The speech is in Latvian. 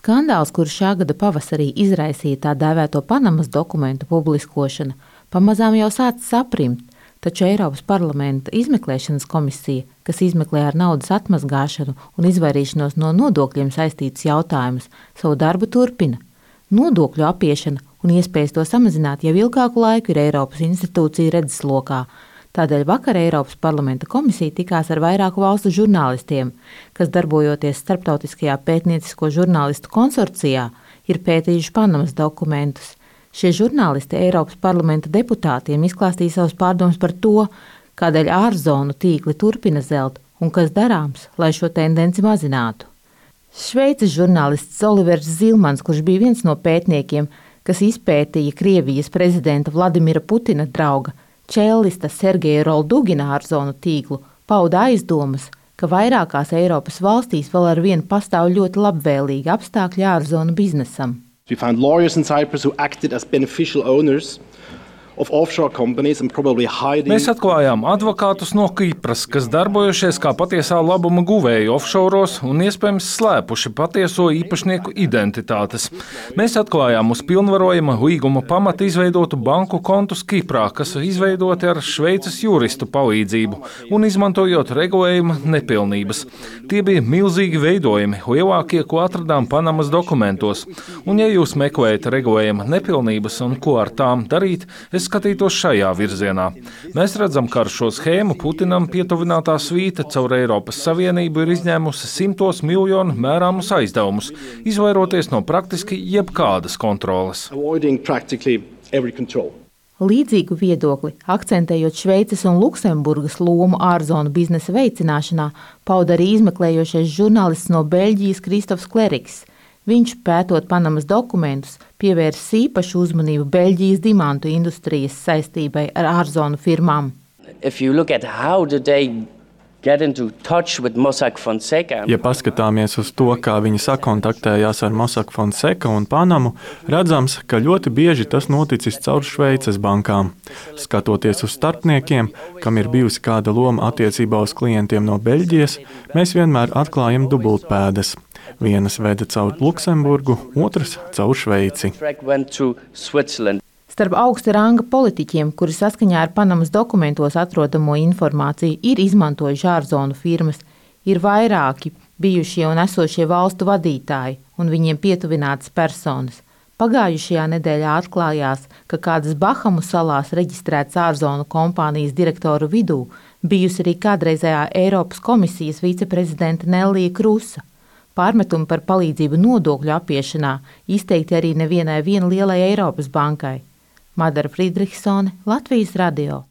Skandāls, kurš šā gada pavasarī izraisīja tā dēvēto Panamas dokumentu publiskošanu, pamazām jau sācis aprimt, taču Eiropas parlamenta izmeklēšanas komisija, kas izmeklē ar naudas atmazgāšanu un izvairīšanos no nodokļiem saistītus jautājumus, savu darbu turpina. Nodokļu apiešana un iespējas to samazināt jau ilgāku laiku ir Eiropas institūcija redzeslokā. Tādēļ vakar Eiropas parlamenta komisija tikās ar vairāku valstu žurnālistiem, kas darbojoties starptautiskajā pētniecisko žurnālistu konsorcijā, ir pētījuši Panamas dokumentus. Šie žurnālisti Eiropas parlamenta deputātiem izklāstīja savus pārdomas par to, kādēļ ārzonu tīkli turpina zelt un kas darāms, lai šo tendenci mazinātu. Šveices žurnālists Olivers Zilmans, kurš bija viens no pētniekiem, kas izpētīja Krievijas prezidenta Vladimira Putina drauga, čellista Sergeja Roldugina ārzonu tīklu, pauda aizdomas, ka vairākās Eiropas valstīs vēl ar vienu pastāv ļoti labvēlīgi apstākļi ārzonu biznesam. We found lawyers in Cyprus who acted as beneficial owners of offshore companies and probably hiding. Mēs atklājām advokātus no Kipras, kas darbojušies kā patiesā labuma guvēji offshoros un iespējams slēpuši patieso īpašnieku identitātes. Mēs atklājām uz pilnvarojuma līguma pamata izveidotu banku kontus Kiprā, kas izveidoti ar Šveices juristu palīdzību un izmantojot regulējuma nepilnības. Tie bija milzīgi veidojumi, lielākie, ko atradām Panamas dokumentos. Un ja jūs meklējat regulējuma nepilnības un ko ar tām darīt, skatītos šajā virzienā. Mēs redzam, ka ar šo schēmu Putinam pietuvinātā svīta caur Eiropas Savienību ir izņēmusi simtos miljonu mērāmus aizdevumus, izvairoties no praktiski jebkādas kontroles. Līdzīgu viedokli, akcentējot Šveices un Luksemburgas lomu ārzonu biznesa veicināšanā, pauda arī izmeklējošais žurnālists no Beļģijas Kristofs Kleriks. Viņš, pētot Panamas dokumentus, pievērsis īpašu uzmanību Beļģijas dimantu industrijas saistībai ar ārzonu firmām. Ja paskatāmies uz to, kā viņi sakontaktējās ar Mossack Fonseca un Panamu, redzams, ka ļoti bieži tas noticis caur Šveices bankām. Skatoties uz starpniekiem, kam ir bijusi kāda loma attiecībā uz klientiem no Beļģijas, mēs vienmēr atklājam dubultpēdas. Vienas veda caur Luksemburgu, otras caur Šveici. Starp augsta ranga politiķiem, kuri saskaņā ar Panamas dokumentos atrodamo informāciju ir izmantojuši ārzonu firmas, ir vairāki bijušie un esošie valstu vadītāji un viņiem pietuvinātas personas. Pagājušajā nedēļā atklājās, ka kādas Bahamu salās reģistrētas ārzonu kompānijas direktoru vidū bijusi arī kādreizējā Eiropas komisijas viceprezidenta Nellija Krusa. Pārmetumi par palīdzību nodokļu apiešanā izteikti arī nevienai lielai Eiropas bankai. Madara Friedrichsone, Latvijas radio.